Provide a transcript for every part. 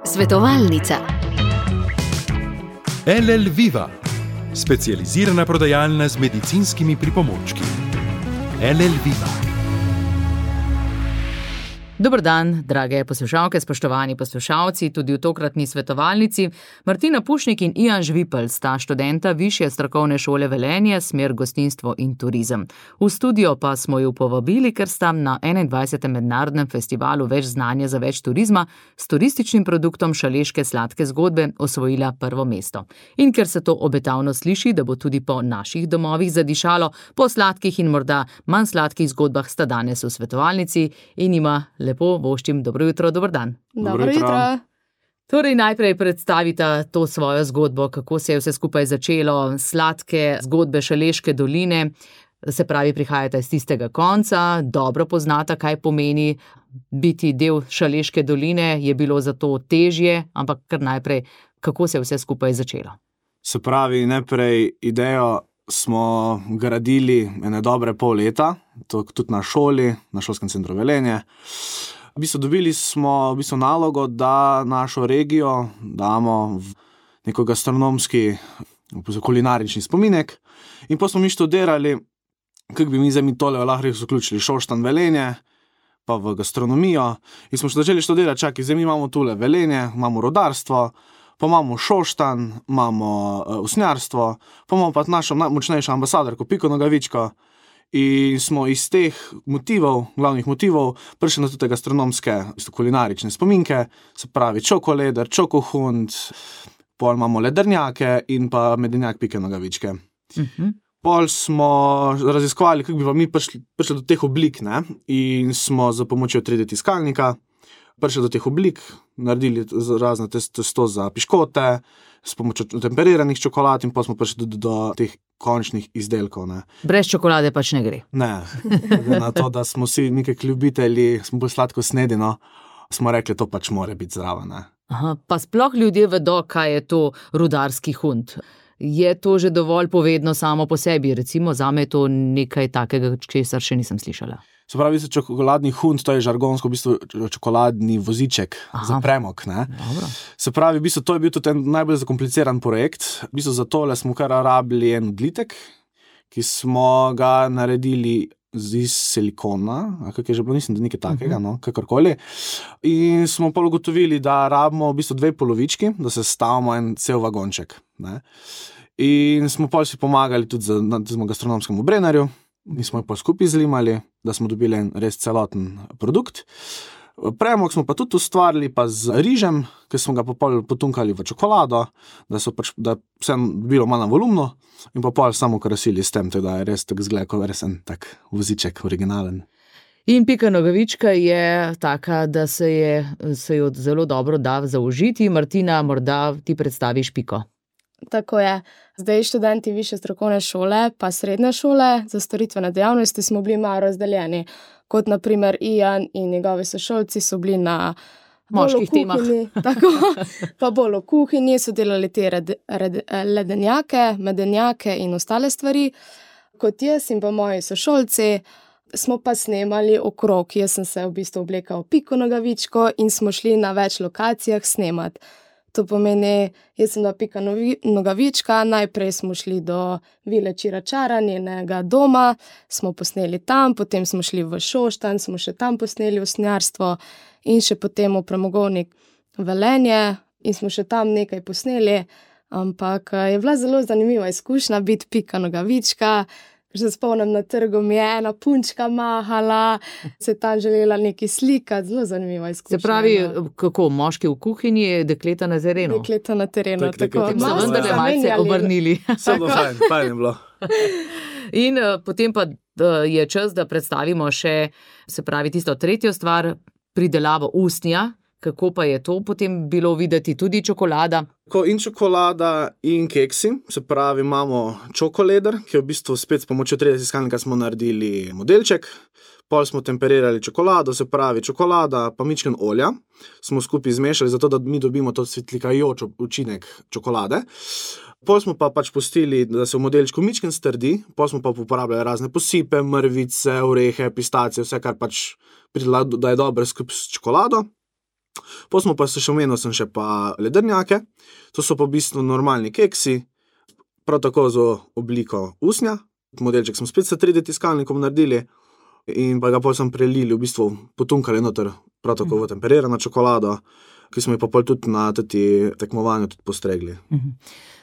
Svetovalnica. LL Viva, specializirana prodajalna z medicinskimi pripomočki. LL Viva. Dober dan, drage poslušalke, spoštovani poslušalci, tudi v tokratni svetovalnici. Martina Pušnik in Ijan Žvipelj sta študenta Višje strokovne šole Velenje, smer gostinstvo in turizem. V studio pa smo ju povabili, ker sta na 21. mednarodnem festivalu Več znanja za več turizma s turističnim produktom Šaleške sladke zgodbe osvojila prvo mesto. In ker se to obetavno sliši, da bo tudi po naših domovih zadišalo, po sladkih in morda manj sladkih zgodbah sta danes v svetovalnici in ima lepo voščim dobro jutro, dober dan. Dobro jutro. Torej najprej predstavita to svojo zgodbo, kako se je vse skupaj začelo, sladke zgodbe Šaleške doline, se pravi prihajata iz tistega konca, dobro poznata, kaj pomeni biti del Šaleške doline, je bilo zato težje, ampak kar najprej, kako se je vse skupaj začelo. Se pravi, najprej idejo smo gradili ene dobre pol leta, tudi na šoli, na šolskem centru Velenje. Dobili smo nalogo, da našo regijo damo v neko gastronomski, kulinarični spominek. In pa smo mi študirali, kako bi mi zdaj tole lahko zaključili, Šoštanj Velenje, pa v gastronomijo. In smo začeli študirati, čakaj, zdaj mi imamo tule Velenje, imamo rodarstvo, pa imamo Šoštanj, imamo usnjarstvo, pa imamo pa našo najmočnejšo ambasadorko Piko Nogavičko. In smo iz teh glavnih motivov, prišli na tudi gastronomske, kulinarične spominke, se pravi čokoleder, čokohund, pol imamo ledrnjake in pa medenjak Pike Nogavičke. Pol smo raziskovali, kako bi pa mi prišli do teh oblik, ne? In smo za pomočjo 3D tiskalnika prišli do teh oblik, naredili razne testo za piškote, s pomočjo temperiranih čokolad in pa smo prišli do teh končnih izdelkov. Ne. Brez čokolade pač ne gre. Ne, na to, da smo vsi nekaj ljubitelji, smo bolj sladko snedeno, smo rekli, to pač mora biti zraven. Ne. Aha, pa sploh ljudje vedo, kaj je to rudarski hund. Je to že dovolj povedno samo po sebi? Recimo, zame je to nekaj takega, česar še nisem slišala. Se pravi, čokoladni hund, to je žargonsko v bistvu čokoladni voziček. Aha. Za premog. Ne? Se pravi, v bistvu to je bil tudi en najbolj zakompliciran projekt. V bistvu za tole smo kar rabili en odlitek, ki smo ga naredili iz silikona, kak je že bilo, nisem, da nekaj takega, no, kakorkoli. In smo pa ugotovili, da rabimo v bistvu 2 polovički, da se stavimo en cel vagonček. Ne? In smo pa si pomagali tudi z gastronomskemu Brennerju. Mi smo jo pa skupaj zlimali, da smo dobili en res celoten produkt. Premog smo pa tudi ustvarili pa z rižem, ki smo ga pa potunkali v čokolado, da vse bilo malo volumno in pa pol samo krasili s tem, da je res tak zgled, kot res en tak voziček originalen. In Pika Nogavička je taka, da se jo zelo dobro da zaužiti. Martina, morda ti predstaviš Piko. Tako je. Zdaj študenti Višje strokovne šole pa srednje šole za storitvene dejavnosti smo bili malo razdeljeni. Kot na primer Ijan in njegovi sošolci so bili na moških temah. Tako, pa bolj v kuhinji so delali te ledenjake, medenjake in ostale stvari. Kot jaz in pa moji sošolci smo pa snemali okrog. Jaz sem se v bistvu oblekal Piko Nogavičko in smo šli na več lokacijah snemati. To pomeni, jaz sem bila Pika Nogavička, najprej smo šli do Vile Čiračara, njenega doma, smo posneli tam, potem smo šli v Šoštanj, smo še tam posneli usnjarstvo in še potem v premogovnik Velenje in smo še tam nekaj posneli, ampak je bila zelo zanimiva izkušnja biti Pika Nogavička. Že spomnim, na trgu mi je ena punčka mahala, se tam želela nekaj slikati, zelo zanimiva izkušnja. Se pravi, kako, moški v kuhinji, dekleta na terenu? Dekleta na terenu, tako. So vendarle malce obrnili. Samo fajn je bilo. In potem pa je čas, da predstavimo še, se pravi, tisto tretjo stvar, pridelavo usnja. Kako pa je to potem bilo videti, tudi čokolada? In čokolada in keksi, se pravi, imamo čokoleder, ki je v bistvu spet s pomočjo 3D tiskalnika smo naredili modelček, pol smo temperirali čokolado, se pravi čokolada pa mičken olja, smo skupaj zmešali, zato da mi dobimo to svetlikajoč učinek čokolade. Pol smo pa pač pustili, da se v modelčku mičken strdi, pol smo pa uporabljali razne posipe, mrvice, orehe, pistacije, vse kar pač pridela, da je dobro skupaj s čokolado. Potem smo pa še omenil sem še pa ledrnjake, to so pa v bistvu normalni keksi, prav tako z obliko usnja. Modelček smo spet s 3D tiskalnikom naredili in pa ga potem sem prelili, v bistvu potunkali noter, prav tako v temperirano čokolado, ki smo jo pa pol tudi na tekmovanju tudi postregli.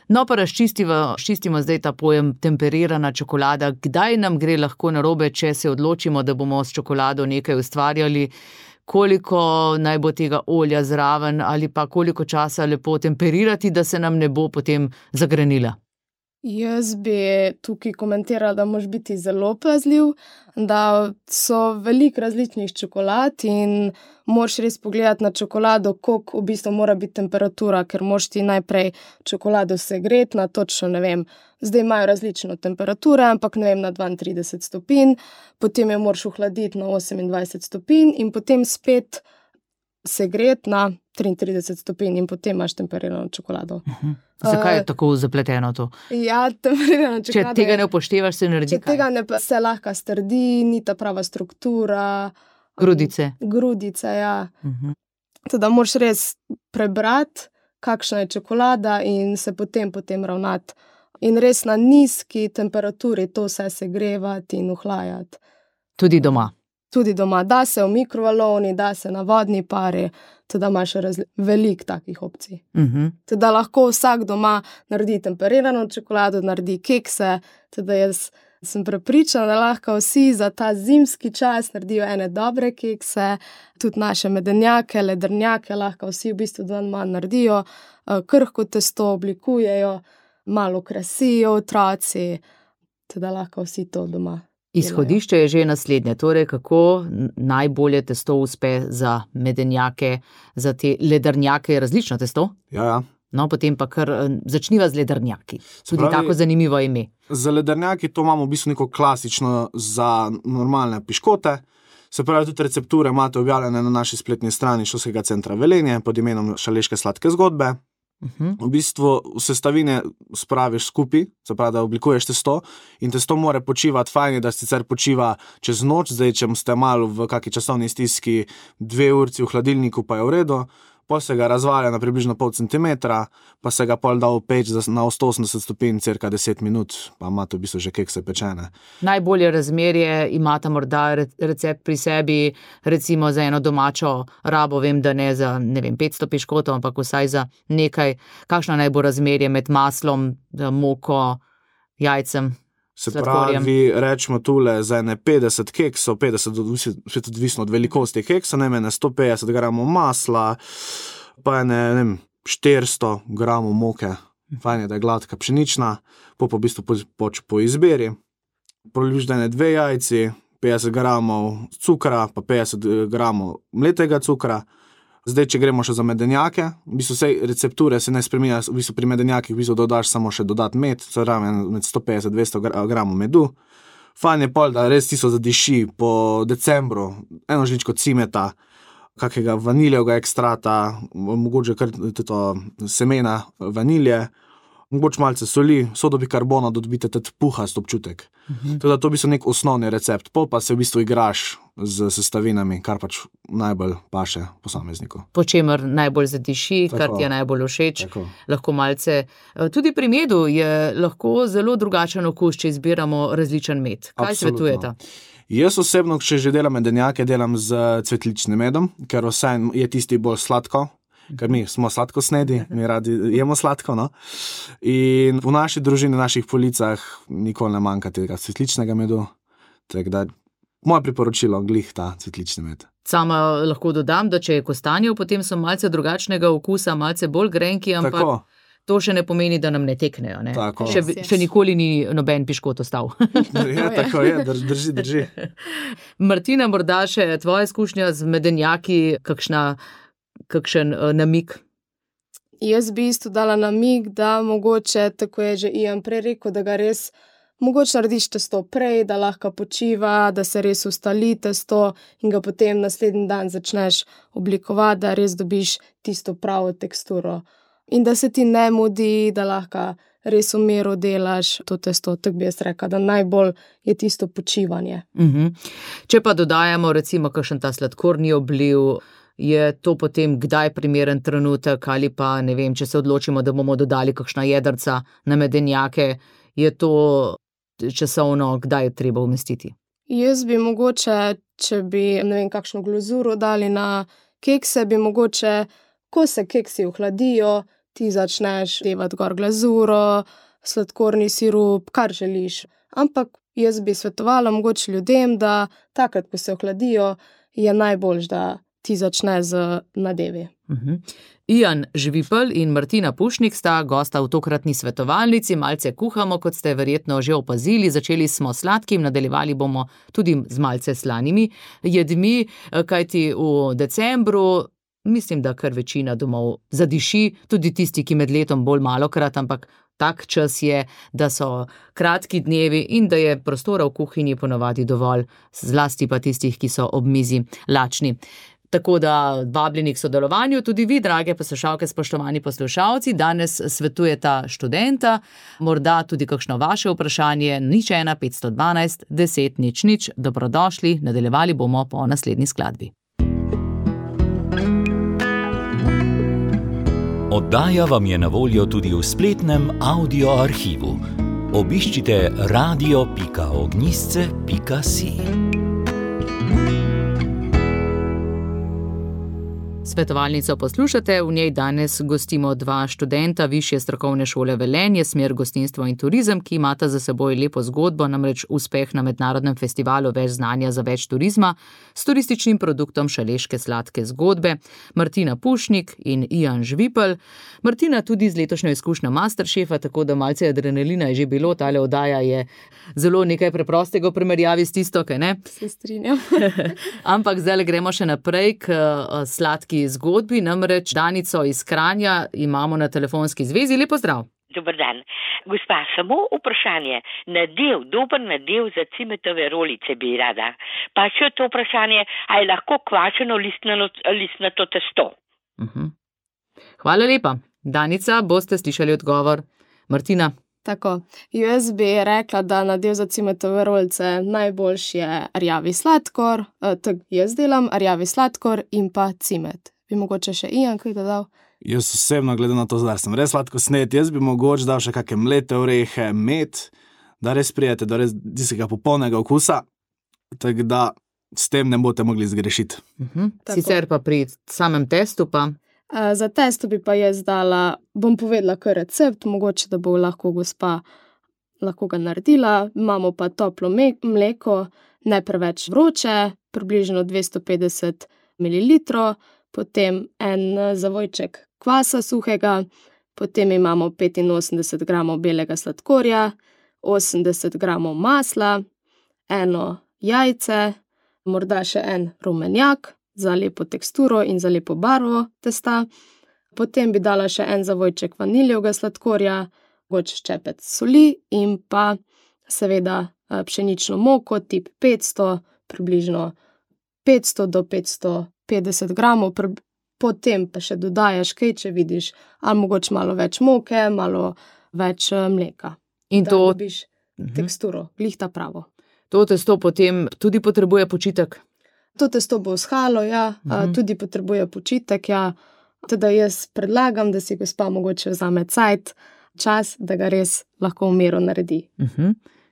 No, pa razčistimo zdaj ta pojem temperirana čokolada. Kdaj nam gre lahko narobe, če se odločimo, da bomo s čokolado nekaj ustvarjali? Koliko naj bo tega olja zraven ali pa koliko časa lepo temperirati, da se nam ne bo potem zagrenila? Jaz bi tukaj komentirala, da moraš biti zelo pazljiv, da so veliko različnih čokolad in moraš res pogledati na čokolado, koliko v bistvu mora biti temperatura, ker moraš ti najprej čokolado segreti na točno, ne vem, zdaj imajo različno temperature, ampak ne vem, na 32 stopinj, potem jo moraš ohladiti na 28 stopinj in potem spet segreti na 33 stopinj in potem imaš temperirano čokolado. Zakaj je tako zapleteno to? Ja, temperirano čokolado. Če tega ne upoštevaš, se naredi kaj? Če tega ne, se lahko strdi, ni ta prava struktura. Grudice. Grudice, ja. Teda moraš res prebrati, kakšna je čokolada in se potem ravnati. In res na nizki temperaturi to vse segrevati in ohlajati. Tudi doma? Tudi doma. Da se v mikrovalovni, da se na vodni pari, teda imaš veliko takih opcij. Teda lahko vsak doma naredi temperirano čokolado, naredi kekse, teda jaz sem prepričana, da lahko vsi za ta zimski čas naredijo ene dobre kekse, tudi naše medenjake, ledrnjake lahko vsi v bistvu dan manj naredijo, krhko testo oblikujejo, malo krasijo otroci, teda lahko vsi to doma. Izhodišče je že naslednje, torej kako najbolje testo uspe za medenjake, za te ledrnjake, je različno testo? Ja. No, potem pa kar začniva z ledrnjaki. Tudi tako zanimivo ime. Za ledrnjaki to imamo v bistvu neko klasično za normalne piškote. Se pravi, tudi recepture imate objavljene na naši spletni strani Šolskega centra Velenje pod imenom Šaleške sladke zgodbe. V bistvu sestavine spraviš skupaj, se pravi, da oblikuješ testo in testo mora počivati, fajn je, da sicer počiva čez noč, zdaj, če ste malo v kaki časovni stiski 2 urci v hladilniku, pa je v redu, pol se ga razvalja na približno pol centimetra, pa se ga pol da v peč na 180 stopinj, cirka 10 minut, pa imate v bistvu že kekse pečene. Najbolje razmerje imate morda recept pri sebi, recimo za eno domačo rabo, vem, da ne za, ne vem, 500 piškotov, ampak vsaj za nekaj. Kakšno naj bo razmerje med maslom, moko, jajcem? Se pravi, rečemo tule za ene 50 keksov, 50 odvisno od velikosti keksa, najmene 150 gramov masla, pa ene 400 gramov moke, fajn je, da je gladka pšenična, pa v bistvu po izbiri. Proliviš da ene 2 jajci, 50 gramov cukra, pa 50 gramov mletega cukra. Zdaj, če gremo še za medenjake, v bistvu vse recepture se ne spreminja, v bistvu pri medenjakih v bistvu dodaš samo še dodat med, se pravi med 150-200 gramov medu. Fajn je pol, da res tisto zadiši po decembru, eno žličko cimeta, kakega vaniljevega ekstrata, mogoče kar semena vanilje, mogoče malce soli, sodo bikarbona, da dobite tudi puhast občutek. Teda to v bistvu nek osnovni recept, pol pa se v bistvu igraš z sestavinami, kar pač najbolj paše posamezniku. Po čemer najbolj zadiši, kar ti je najbolj všeč. Lahko malce. Tudi pri medu je lahko zelo drugačen okus, če izbiramo različen med. Kaj svetujete? Jaz osebno, če že delam medenjake, delam z cvetličnim medom, ker vse je tisti bolj sladko, ker mi smo sladkosnedi, mi radi jemo sladko, no. In v naši družini, v naših policah nikoli ne manjka tega cvetličnega medu, tako da moje priporočilo, glih ta cvetlični med. Sama lahko dodam, da če je kostanjev, potem so malce drugačnega okusa, malce bolj grenki, ampak tako. To še ne pomeni, da nam ne teknejo. Ne? Še nikoli ni noben piškot ostal. Ja, tako je, drži. Martina, morda še tvoja izkušnja z medenjaki, kakšen namig? Jaz bi isto dala namig, da mogoče, tako je že Ian prej rekel, da ga res mogoče narediš testo prej, da lahko počiva, da se res ustali testo in ga potem naslednji dan začneš oblikovati, da res dobiš tisto pravo teksturo. In da se ti ne mudi, da lahko res v miru delaš to testo, tako bi jaz rekla, da najbolj je tisto počivanje. Če pa dodajamo recimo kakšen ta sladkorni obliv, je to potem kdaj primeren trenutek ali pa ne vem, če se odločimo, da bomo dodali kakšna jedrca na medenjake, je to časovno, kdaj je treba umestiti? Jaz bi mogoče, če bi, ne vem, kakšno glazuro dali na kekse, bi mogoče, ko se keksi ohladijo, ti začneš devati gor glazuro, sladkorni sirup, kar želiš. Ampak jaz bi svetovala mogoče ljudem, da takrat, ko se ohladijo, je najboljš, da ti začne z nadevi. Ian Žvipelj in Martina Pušnik sta gosta v tokratni svetovalnici, malce kuhamo, kot ste verjetno že opazili, začeli smo s sladkim, nadaljevali bomo tudi z malce slanimi jedmi, kajti v decembru mislim, da kar večina domov zadiši, tudi tisti, ki med letom bolj malokrat, ampak tak čas je, da so kratki dnevi in da je prostora v kuhinji ponavadi dovolj, zlasti pa tistih, ki so ob mizi lačni. Tako da vabljeni k sodelovanju, tudi vi, drage poslušalke, spoštovani poslušalci, danes svetujeta študenta, morda tudi kakšno vaše vprašanje, 01 512 10 00, dobrodošli, nadaljevali bomo po naslednji skladbi. Oddaja vam je na voljo tudi v spletnem audio arhivu. Obiščite radio.ognjisce.si. Svetovalnico poslušate, v njej danes gostimo dva študenta Višje strokovne šole Velenje, smer gostinstvo in turizem, ki imata za seboj lepo zgodbo, namreč uspeh na mednarodnem festivalu Več znanja za več turizma s turističnim produktom Šaleške sladke zgodbe, Martina Pušnik in Ian Žvipelj. Martina tudi z letošnjo izkušnjo Masterchefa, tako da malce adrenalina je že bilo, tale oddaja je zelo nekaj preprostega v primerjavi s tisto, kaj ne? Se strinjam. Ampak zdaj gremo še naprej k sladki zgodbi, namreč Danico iz Kranja imamo na telefonski zvezi. Lep pozdrav. Dober dan. Gospa, samo vprašanje. Dober nadev za cimetove rolice bi rada. Pa še to vprašanje, a je lahko kvačeno listnato testo? Hvala lepa. Danica, boste slišali odgovor. Martina. Tako, jaz bi rekla, da nadev za cimetove rolice najboljši je rjavi sladkor, tako jaz delam, rjavi sladkor in pa cimet. Bi mogoče še Ian kaj dodal? Jaz osebno, glede na to, da sem res sladko snet, jaz bi mogoče dal še kakšne mlete orehe, med, da res prijete do res tistega popolnega okusa, tako da s tem ne boste mogli zgrešiti. Sicer pa pri samem testu pa... Za testo bi pa jaz dala, bom povedala kar recept, mogoče da bo lahko gospa lahko ga naredila. Imamo pa toplo mleko, ne preveč vroče, približno 250 ml, potem en zavojček kvasa suhega, potem imamo 85 gramov belega sladkorja, 80 gramov masla, eno jajce, morda še en rumenjak, za lepo teksturo in za lepo barvo testa. Potem bi dala še en zavojček vaniljevega sladkorja, mogoče ščepec soli in pa seveda pšenično moko tip 500, približno 500 do 550 gramov. Potem pa še dodajaš kaj, če vidiš, ali mogoče malo več moke, malo več mleka. In da to dobiš teksturo, glihta pravo. To testo potem tudi potrebuje počitek? To testo bo vzhalo, ja, tudi potrebuje počitek, ja. Teda jaz predlagam, da si gospa mogoče vzame čas, da ga res lahko v miru naredi.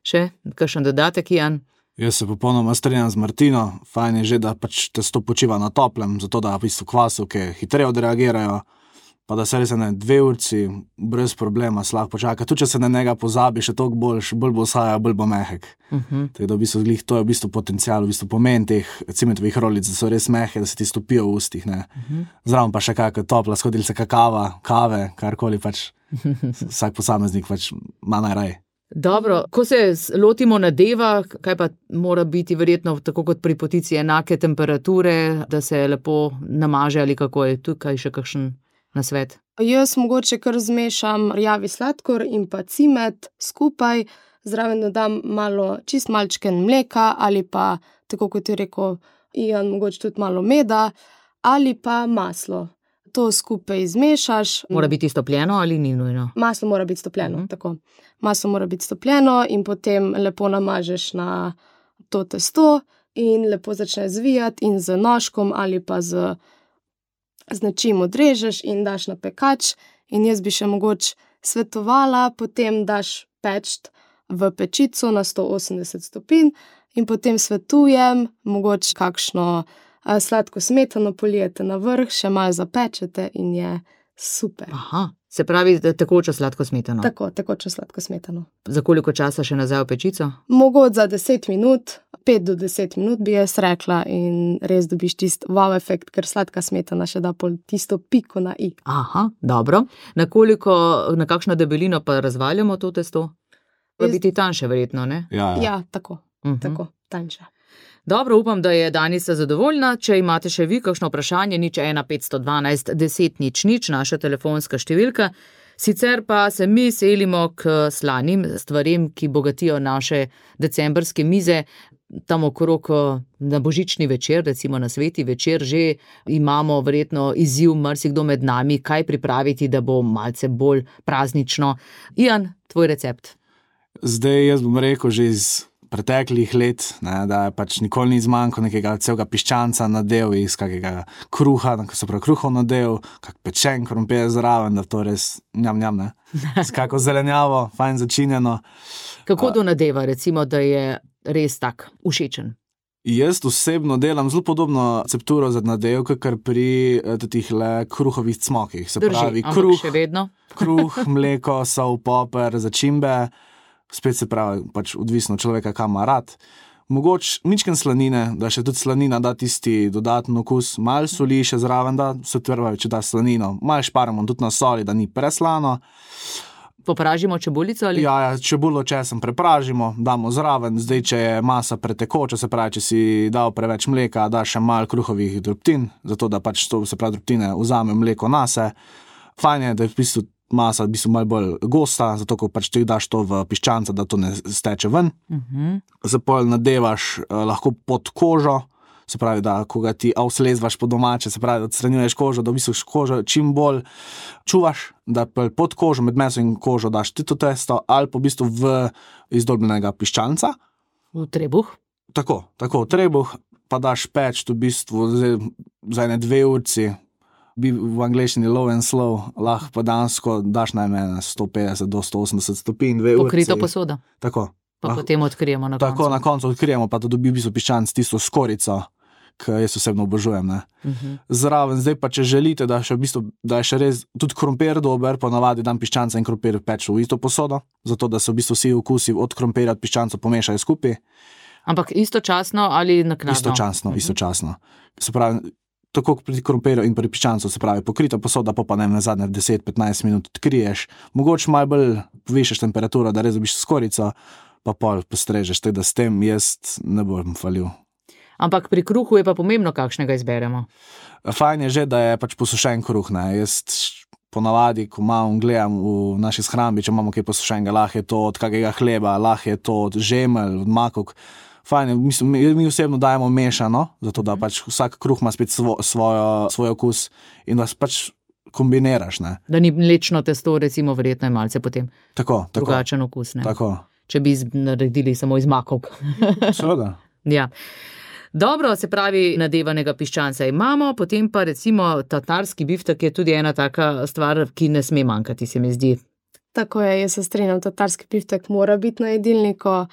Še kakšen dodatek, Ian? Jaz se popolnoma strinjam z Martino, fajn je že, da pač testo počiva na toplem, zato da v bistvu kvasovke hitreje odreagirajo, pa da se res 2 urci brez problema se lahko počaka. Tudi če se na njega pozabi, še toliko bolj bo vzhajal, bolj bo mehek. Tako da v bistvu to je v bistvu potencial, v bistvu pomen teh cimetovih rolic, da so res mehke, da se ti stopijo v ustih, ne. Zraven pa še kakšna topla skodelica kave, karkoli pač vsak posameznik pač ima najraje. Dobro, ko se lotimo nadeva, kaj pa mora biti verjetno tako kot pri potici enake temperature, da se lepo namaže ali kako je tukaj še kakšen nasvet? Jaz mogoče kar zmešam rjavi sladkor in pa cimet skupaj, zraven dodam čist malčken mleka ali pa, tako kot je rekel Ian, mogoče tudi malo meda ali pa maslo. To skupaj zmešaš. Mora biti stopljeno ali ni nujno? Maslo mora biti stopljeno, tako. Maslo mora biti stopljeno in potem lepo namažeš na to testo in lepo začneš zvijati in z nožkom ali pa z z nečim odrežeš in daš na pekač. In jaz bi še mogoče svetovala, potem daš peč v pečico na 180 stopinj in potem svetujem, mogoče kakšno sladko smetano polijete na vrh, še malo zapečete in je super. Aha, se pravi tekočo sladko smetano. Tako, tekočo sladko smetano. Za koliko časa še nazaj v pečico? Mogoče za 10 minut, 5 do 10 minut bi jaz rekla in res dobiš tisti wow efekt, ker sladka smetana še da pol tisto piko na i. Aha, dobro. Na kakšno debelino pa razvaljamo to testo? Pa biti tanjše verjetno, ne? Ja, tako, tako, tanjše. Dobro, upam, da je Danica zadovoljna. Če imate še vi kakšno vprašanje, 01 512 10 00, naša telefonska številka. Sicer pa se mi selimo k slanim stvarem, ki bogatijo naše decembrske mize. Tam okrog na božični večer, recimo na sveti večer, že imamo verjetno izziv marsikdo med nami, kaj pripraviti, da bo malce bolj praznično. Ian, tvoj recept. Zdaj jaz bom rekel že iz preteklih let, ne, da je pač nikoli ni zmanjko nekega celega piščanca nadev iz kakega kruha, se pravi kruhov nadev, kak pečen krompir zraven, da to res njam, ne. S kako zelenjavo, fajn začinjeno. Kako do nadeva, recimo, da je res tak všečen? Jaz osebno delam zelo podobno recepturo za nadev, kakor pri tihle kruhovih cmokih. Se pravi, kruh, mleko, sol, poper, začimbe. Spet se pravi, pač odvisno človeka, kam ima rad. Mogoče mičken slanine, da še tudi slanina da tisti dodaten okus, malo soli še zraven, da se tvrvajo, če da slanino, malo šparamo tudi na soli, da ni preslano. Popražimo čebulico ali? Ja, čebulo česen prepražimo, damo zraven, zdaj če je masa pretekoča, se pravi, če si dal preveč mleka, da še malo kruhovih drobtin, zato da pač to, se pravi, drobtine vzame mleko nase. Fajn je, da je v bistvu masa malo bolj gosta, zato ko pač ti daš to v piščanca, da to ne steče ven. Zapol nadevaš lahko pod kožo, se pravi, da ko ga ti avslezvaš po domače, se pravi, da odstranjuješ kožo, da v bistvu kožo čim bolj čuvaš, da pod kožo, med meso in kožo daš ti to testo, ali pa v bistvu v izdolbljenega piščanca. V trebuh? Tako, v trebuh, pa daš peč v bistvu za 2 urci, v angleščini low and slow, lahko pa dansko daš najmanj 150 do 180 stopinj, 2 urci. Pokrito posoda. Tako. Pa potem odkrijemo na koncu. Tako, na koncu odkrijemo, pa to dobi v bistvu piščanc tisto skorico, ki jaz osebno obožujem, ne. Zraven, zdaj pa, če želite, da še v bistvu, da je še res tudi krompir dober, ponavadi dam piščanca in krompir peč v isto posodo, zato da se v bistvu vsi okusi od krompirja od piščanca pomešajo skupaj. Ampak istočasno ali naknadno? Istočasno. Se pravi, tako pri krompirju in pri piščancu, se pravi, pokrita posoda, pa ne nazadnje 10-15 minut odkriješ, mogoče malo bolj povišaš temperaturo, da res dobiš skorico, pa pol postrežeš, tako da s tem jaz ne bom falil. Ampak pri kruhu je pa pomembno, kakšnega izberemo. Fajn je že, da je pač posušen kruh, ne. Jaz ponavadi, ko gledam v naši shrambi, če imamo kaj posušenega, lahko je to od kakega hleba, lahko je to od žemelj, od makok. Fajn je, mislim, mi osebno dajemo mešano, zato da pač vsak kruh ima spet svoj okus in da pač kombiniraš, ne. Da ni mlečno testo, recimo, verjetno je malce potem drugačen okus, ne. Tako. Če bi naredili samo iz makov. Seveda. Ja. Dobro, se pravi, nadevanega piščanca imamo, potem pa recimo tatarski biftek je tudi ena taka stvar, ki ne sme manjkati, se mi zdi. Tako je, jaz se strinjam, tatarski biftek mora biti na jedilniku.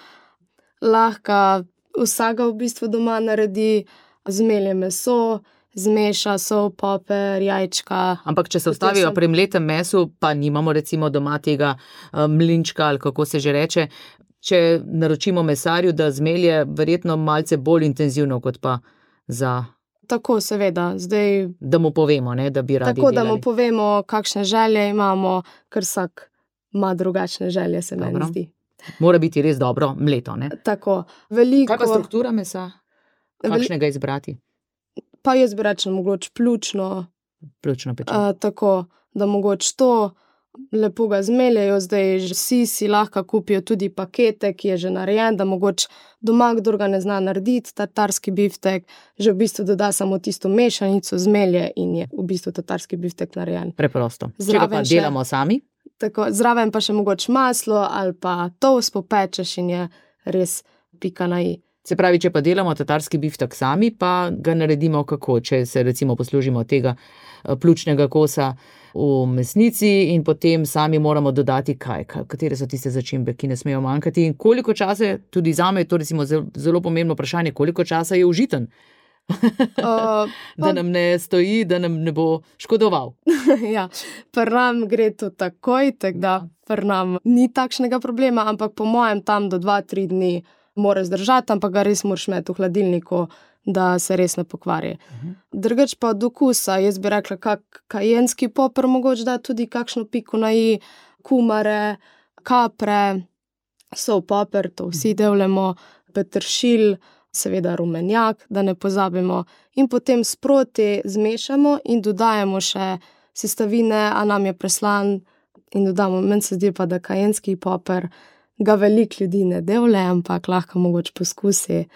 Lahko vsega v bistvu doma naredi, zmelje meso, zmeša sol, poper, jajčka. Ampak če se ustavijo pri mletem mesu, pa nimamo recimo doma tega mlinčka ali kako se že reče, če naročimo mesarju, da zmelje verjetno malce bolj intenzivno kot pa za... Tako, seveda, zdaj... Da mu povemo, ne, da bi radi tako, delali. Da mu povemo, kakšne želje imamo, ker vsak ima drugačne želje, se meni zdi. Mora biti res dobro mleto, ne? Tako, veliko... Kaj pa struktura mesa? Kakšnega izbrati? Pa jaz bi rečela mogoče pljučno. Pljučno pečeno. Tako, da mogoče to lepo ga zmeljajo, zdaj vsi si lahko kupijo tudi pakete, ki je že narejen, da mogoče doma, kdor ga ne zna narediti, tatarski biftek, že v bistvu doda samo tisto mešanico, zmelje in je v bistvu tatarski biftek narejen. Preprosto. Če ga pa delamo sami? Tako, zraven pa še mogoče maslo ali pa toast popečeš in je res pika na i. Se pravi, če pa delamo tatarski biftek sami, pa ga naredimo kako, če se recimo poslužimo tega pljučnega kosa v mesnici in potem sami moramo dodati katere so tiste začimbe, ki ne smejo manjkati in koliko časa, tudi zame je to recimo zelo pomembno vprašanje, koliko časa je užiten. Da nam ne stoji, da nam ne bo škodoval. Ja, pri nam gre to takoj, tako da pri nam ni takšnega problema, ampak po mojem tam do 2-3 dni mora zdržati, ampak ga res moraš imeti v hladilniku, da se res ne pokvari. Drugač pa od okusa, jaz bi rekla, kajenski poper mogoče da tudi kakšno piko na i, kumare, kapre, sol poper, to vsi devljamo, peteršilj, seveda rumenjak, da ne pozabimo, in potem sproti zmešamo in dodajamo še sestavine, a nam je preslan in dodamo. Meni se zdi pa, da kajenski poper ga veliko ljudi ne devlje, ampak lahko mogoče poskusi,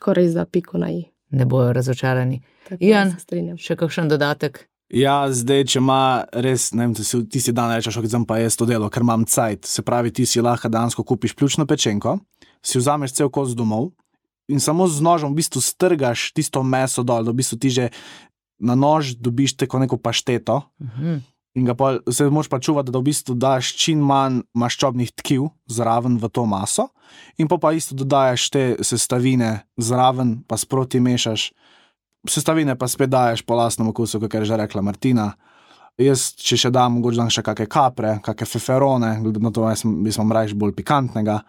ko res da piko na i. Ne bojo razočarani. Ian, še kakšen dodatek? Ja, zdaj, če ima res, ne vem, ti si dan rečeš, zdaj pa jaz to delo, ker imam cajt, se pravi, ti si lahko dansko kupiš pljučno pečenko, si vzameš cel kos domov in samo z nožem v bistvu strgaš tisto meso dol, da v bistvu ti že na nož dobiš tako neko pašteto in ga pa se moraš pa čuvati, da v bistvu daš čim manj maščobnih tkiv zraven v to maso in pa isto dodajaš te sestavine zraven, pa sproti mešaš. Sestavine pa spet daješ po lastnem okusu, kakor je že rekla Martina. Jaz, če še dam, mogoče dam še kakšne kapre, kakšne feferone, glede na to, jaz sem rajš bolj pikantnega.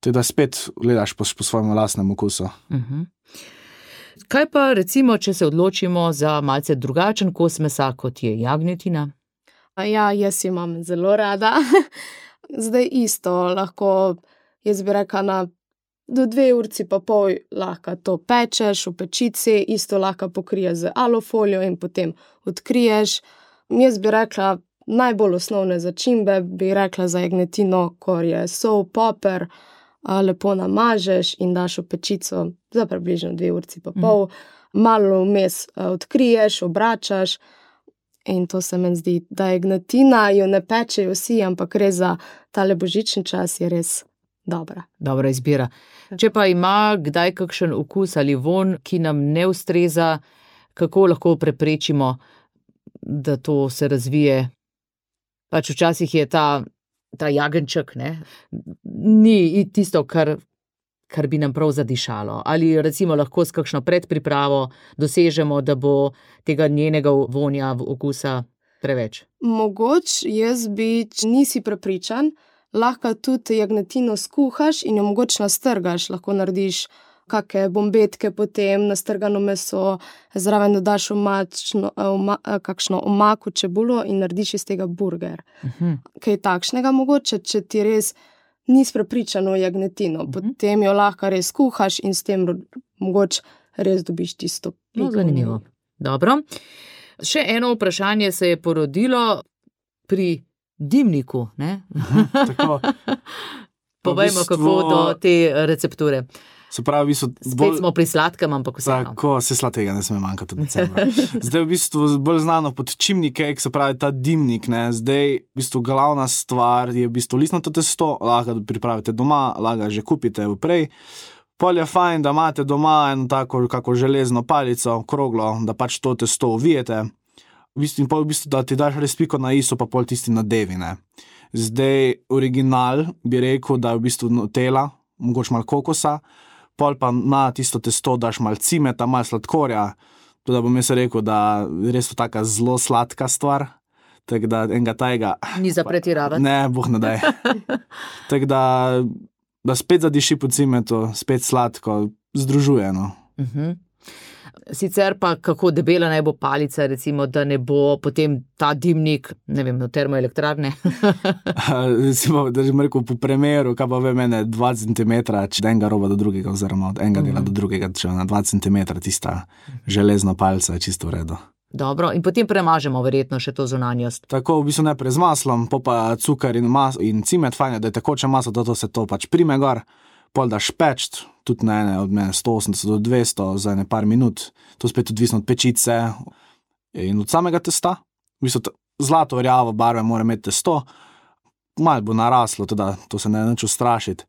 Teda spet gledaš po svojem lastnem okusu. Kaj pa recimo, če se odločimo za malce drugačen kos mesa, kot je jagnjetina? Ja, jaz imam zelo rada. Zdaj isto, lahko, jaz bi rekla, do 2,5 ure lahko to pečeš v pečici, isto lahko pokriješ z alufolijo in potem odkriješ. Jaz bi rekla, najbolj osnovne začimbe bi rekla za jagnjetino, ko je sol, poper, lepo namažeš in daš v pečico za približno 2,5 ure. Malo vmes odkriješ, obračaš in to se meni zdi, da jagnjetina jo ne pečejo vsi, ampak res za tale božični čas je res dobra. Dobra izbira. Če pa ima kdaj kakšen okus ali vonj, ki nam ne ustreza, kako lahko preprečimo, da to se razvije? Pač včasih je ta jagenjček, ne, ni tisto, kar bi nam prav zadišalo. Ali recimo lahko s kakšno predpripravo dosežemo, da bo tega njenega vonja, okusa preveč? Mogoče, jaz bi, če nisi prepričan, lahko tudi jagnjetino skuhaš in jo mogoče nastrgaš, lahko narediš kakšne bombetke, potem nastrgano meso, zraven dodaš kakšno omako, čebulo in narediš iz tega burger. Kaj takšnega mogoče, če ti res nisi prepričan o jagnjetino, potem jo lahko res skuhaš in s tem mogoče res dobiš tisto piko. No, zanimivo. Dobro. Še eno vprašanje se je porodilo pri dimniku, ne? Tako. Povejmo, kako do te recepture. Se pravi, spet smo pri sladkem, ampak vseeno. Tako, se sladkega ne sme manjkati v decembru. Zdaj v bistvu bolj znano pod chimney cake, se pravi ta dimnik, ne. Zdaj v bistvu glavna stvar je v bistvu listnato testo, lahko pripravite doma, lahko že kupite vprej. Pol je fajn, da imate doma eno tako kako železno palico, kroglo, da pač to testo uvijete. In pol v bistvu, da ti daš res piko na i, so pa pol tisti nadevi, ne. Zdaj original bi rekel, da je v bistvu nutella, mogoče malo kokosa, pol pa na tisto testo daš malo cimeta, malo sladkorja, to da bom jaz rekel, da je res to taka zelo sladka stvar, tako da enega tajega... Ni za pretiravati. Ne, boh ne daj. Tako da spet zadiši po cimetu, spet sladko, združuje, no. Sicer pa kako debela naj bo palica, recimo, da ne bo potem ta dimnik, ne vem, termoelektrarne. Recimo, da že rekel po primeru, kaj pa ve mene 2 cm, če da enega roba do drugega, oziroma od enega dela do drugega, če na 2 cm tista železna palica je čisto v redu. Dobro, in potem premažemo verjetno še to zunanjost. Tako, v bistvu najprej z maslom, pa cukor in cimet, fajn je, da je tekoče maslo, da to se to pač prime gor. Pol daš pečt, tudi na ene od mene 180 do 200 za ene par minut, to spet odvisno od pečice in od samega testa. V bistvu zlato rjavo barve mora imeti testo, malo bo naraslo, teda to se ne neč ustrašiti.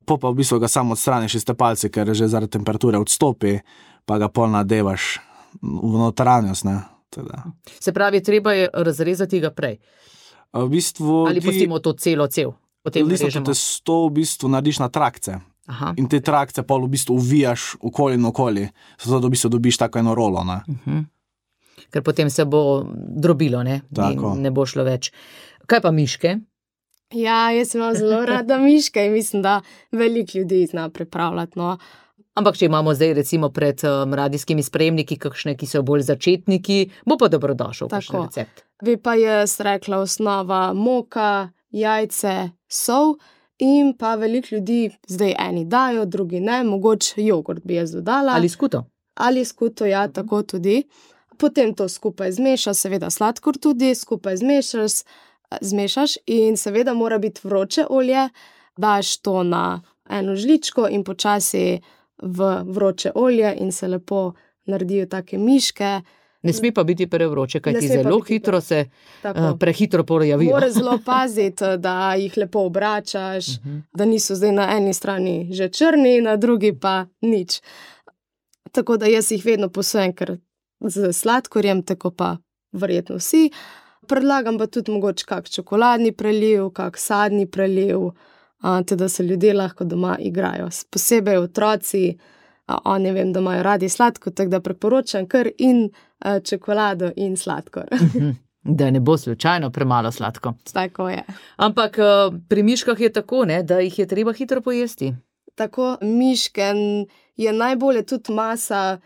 Pa v bistvu ga samo odstraniš iz te palice, ker že zaradi temperature odstopi, pa ga pol nadevaš v notranjost, ne. Se pravi, treba je razrezati ga prej. V bistvu, Ali pustimo to cev? Listo testo v bistvu narediš na trakce. Aha. In te trakce pol v bistvu uvijaš okoli in okoli, zato da v bistvu dobiš tako eno rolo. Ker potem se bo drobilo, ne? Ne bo šlo več. Kaj pa miške? Ja, jaz imam zelo rada miške in mislim, da veliko ljudi zna pripravljati. No. Ampak če imamo zdaj recimo pred radijskimi sprejemniki kakšne, ki so bolj začetniki, bo pa dobrodošel kakšen recept. Bi pa jaz rekla osnova moka, jajce, sol in pa veliko ljudi, zdaj eni dajo, drugi ne, mogoče jogurt bi jaz dodala. Ali skuto? Ali skuto, ja, tako tudi. Potem to skupaj zmešaš, seveda sladkor tudi, skupaj zmešaš in seveda mora biti vroče olje, daš to na eno žličko in počasi v vroče olje in se lepo naredijo take miške. Ne sme pa biti prevroče, kajti zelo hitro se prehitro pojavijo. Mora zelo paziti, da jih lepo obračaš, da niso zdaj na eni strani že črni, na drugi pa nič. Tako da jaz jih vedno posujem, ker z sladkorjem, tako pa verjetno vsi. Predlagam pa tudi mogoče kak čokoladni preliv, kak sadni preliv, da se ljudje lahko doma igrajo. Posebej otroci, oni vem, da imajo radi sladko, tako da preporočam kar in čokolado in sladkor. Da ne bo slučajno premalo sladko. Tako je. Ampak pri miškah je tako, ne, da jih je treba hitro pojesti. Tako, miške je najbolje tudi masa,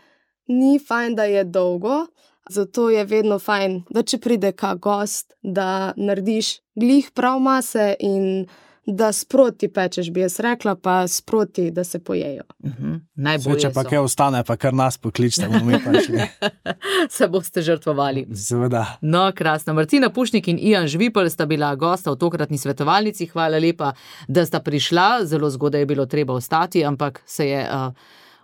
ni fajn, da je dolgo, zato je vedno fajn, da če pride kak gost, da narediš glih prav mase in da sproti pečeš, bi jaz rekla, pa sproti, da se pojejo. Najbolje če pa kaj ostane, pa kar nas pokličite, bomo mi pa šli. Se boste žrtvovali. Seveda. No, krasno. Martina Pušnik in Ijan Žvipelj sta bila gosta v tokratni svetovalnici. Hvala lepa, da sta prišla. Zelo zgodaj je bilo treba ostati, ampak se je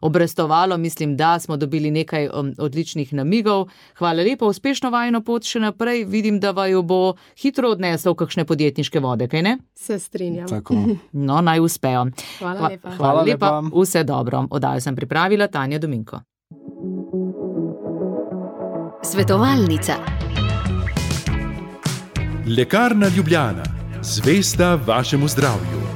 obrestovalo. Mislim, da smo dobili nekaj odličnih namigov. Hvala lepa, uspešno vajino pot še naprej. Vidim, da vaju bo hitro odneslo v kakšne podjetniške vode, kaj ne? Se strinjam. Tako. No, naj uspejo. Hvala lepa. Hvala lepa. Vse dobro. Oddajo sem pripravila Tanja Dominko. Svetovalnica. Lekarna Ljubljana. Zvesta vašemu zdravju.